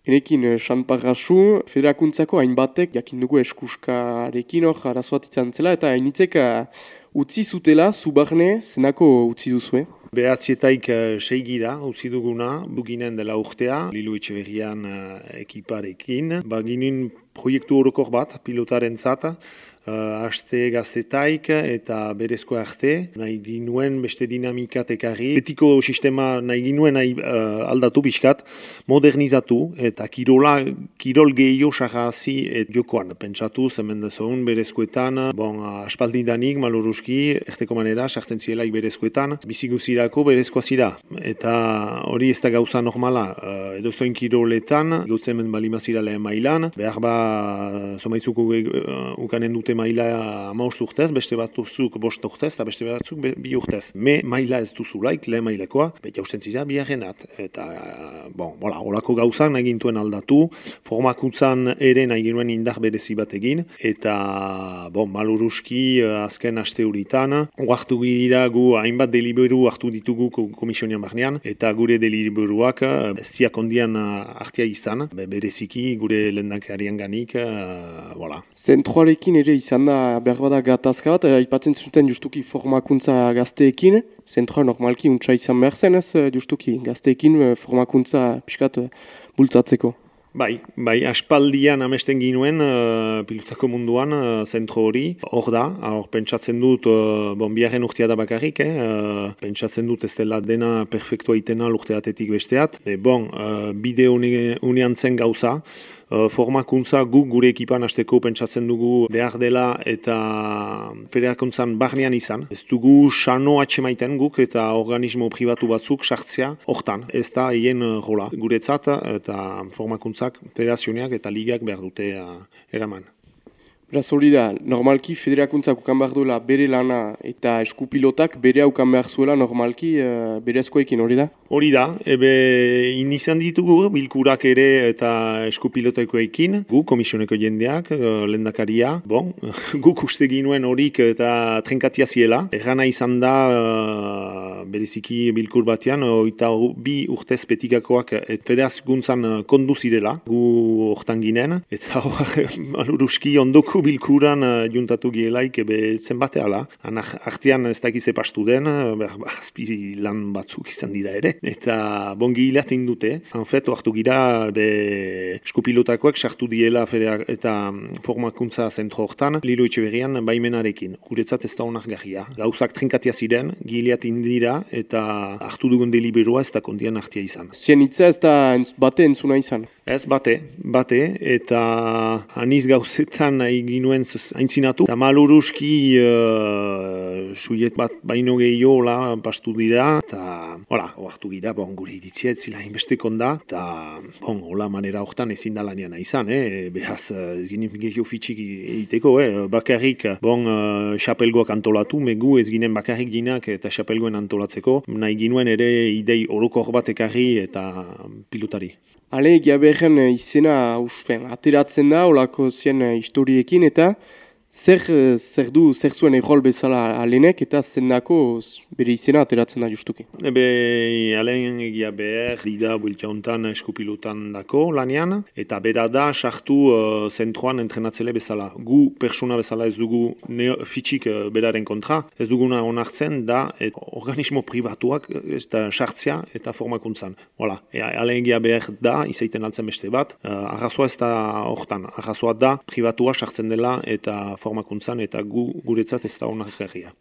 Enekin, Sanparrasu, federakuntzako hainbatek, jakin dugu eskuskarekin hor arazoat izan zela, eta hainitzek utzi zutela, zubarne, zenako utzi duzue? Behatzietaik seigira utzi duguna, buginen dela urtea, Lilu Etxeberrian ekiparekin. Ginen proiektu orokor bat, pilotaren zata, haste gaztetaik eta berezko arte, nahi ginuen beste dinamikat ekarri. Betiko sistema nahi ginuen aldatu pixkat, modernizatu eta kirol gehiago sarrazi jokoan. Pentsatu, zemen dezoen berezkoetan, aspaldidanik, maloruski, erteko manera, sartzen zielaik berezkoetan, biziguzirako berezkoa zira. Eta hori ez da gauza normala, edozoin kiroletan, gotzen balimazira lehen mailan, behar zomaitzuko ukanen dute maila 15 urtez, beste batzuk 5 urtez, eta beste batzuk 2 urtez. Maila ez duzulaik, lehen mailekoa, jausten zira biharrenat. Eta, horako gauzak nahi gintuen aldatu, formakuntzan ere nahi ginuen indar berezi bat egin, eta, maluruski azken aste horitan, hartu dira gu hainbat deliberu hartu ditugu komisionian barnean, eta gure deliberuak ez diak ondian hartia izan, bereziki gure lehendakarian ganik, Zentroarekin ere izan da behar bada gatazka bat, aipatzen zuten justuki formakuntza gazteekin, zentroa normalki untsa izan behar zen ez, justuki gazteekin formakuntza pixkat bultzatzeko. Bai, aspaldian amesten ginuen pilotako munduan zentro hori, hor da, pentsatzen dut, biharren urtea da bakarrik, pentsatzen dut ez dela dena perfektua itena urteatetik besteat, bide unean zen gauza, formakuntza gure ekipan hasteko pentsatzen dugu behar dela eta federakuntzan barnean izan. Ez dugu sano atxemaiten guk eta organismo pribatu batzuk sartzea hortan. Ez da hien rola guretzat eta formakuntzak, federazioneak eta ligak behar dute eraman. Beraz hori da, normalki federakuntzak ukan behar duela bere lana eta eskupilotak bere aukan behar zuela normalki berezkoekin hori da? Hori da, izan ditugu bilkurak ere eta eskupilotakoekin, gu komisioneko jendeak, lehendakaria, guk uste ginuen horik eta trenkatia ziela. Errana izan da, bereziki bilkur batean, 22 urtez petikakoak federazkuntzan kondu zirela, gu hortan ginen, eta maluruski ondoko bilkuran juntatu gielaik zen bateala. Artean ez dakize pastu den, azpi lan batzuk izan dira ere. Eta bongi hilatin dute. Hanfet, hartu gira eskupilotakoak sartu diela eta formakuntza zentro hortan, Lilu Etxeberrian baimenarekin. Guretzat ez da onargarria. Gauzak trinkatia ziren, gilatin dira eta hartu dugun deliberua ez da kondian hartia izan. Zien hitza ez da bate entzuna izan? Ez, bate, eta aniz gauzetan nahi ginuen aintzinatu. Eta maluruski suiet bat baino gehiago pastu dira, eta hartu gira, gure iritzia ez zila inbestekon da, eta hola manera hortan ezin da lanian izan, behaz ez ginen gehiago fitxik egiteko, bakarrik xapelgoak antolatu, megu ez ginen bakarrik ginak eta xapelgoen antolatzeko, nahi ginuen ere idei orokor bat ekarri eta pilotari. Ale, Giaberren izena ateratzen da, olako zien historiekin, eta zer zuen errol bezala alenek, eta zendako bere izena ateratzen da justuki? Alen Giaber, lida bueltia hontan eskupilotan dako lanean, eta bera da sartu zentroan entrenatzele bezala. Gu persona bezala ez dugu fitxik beraren kontra, ez duguna onartzen da organismo pribatuak ez da sartzea eta formakuntzan. Alen Giaber da, izaiten altzen beste bat, arrazoa ez da hortan, arrazoa da pribatua sartzen dela eta formakuntzan eta guretzat ez da onargarria.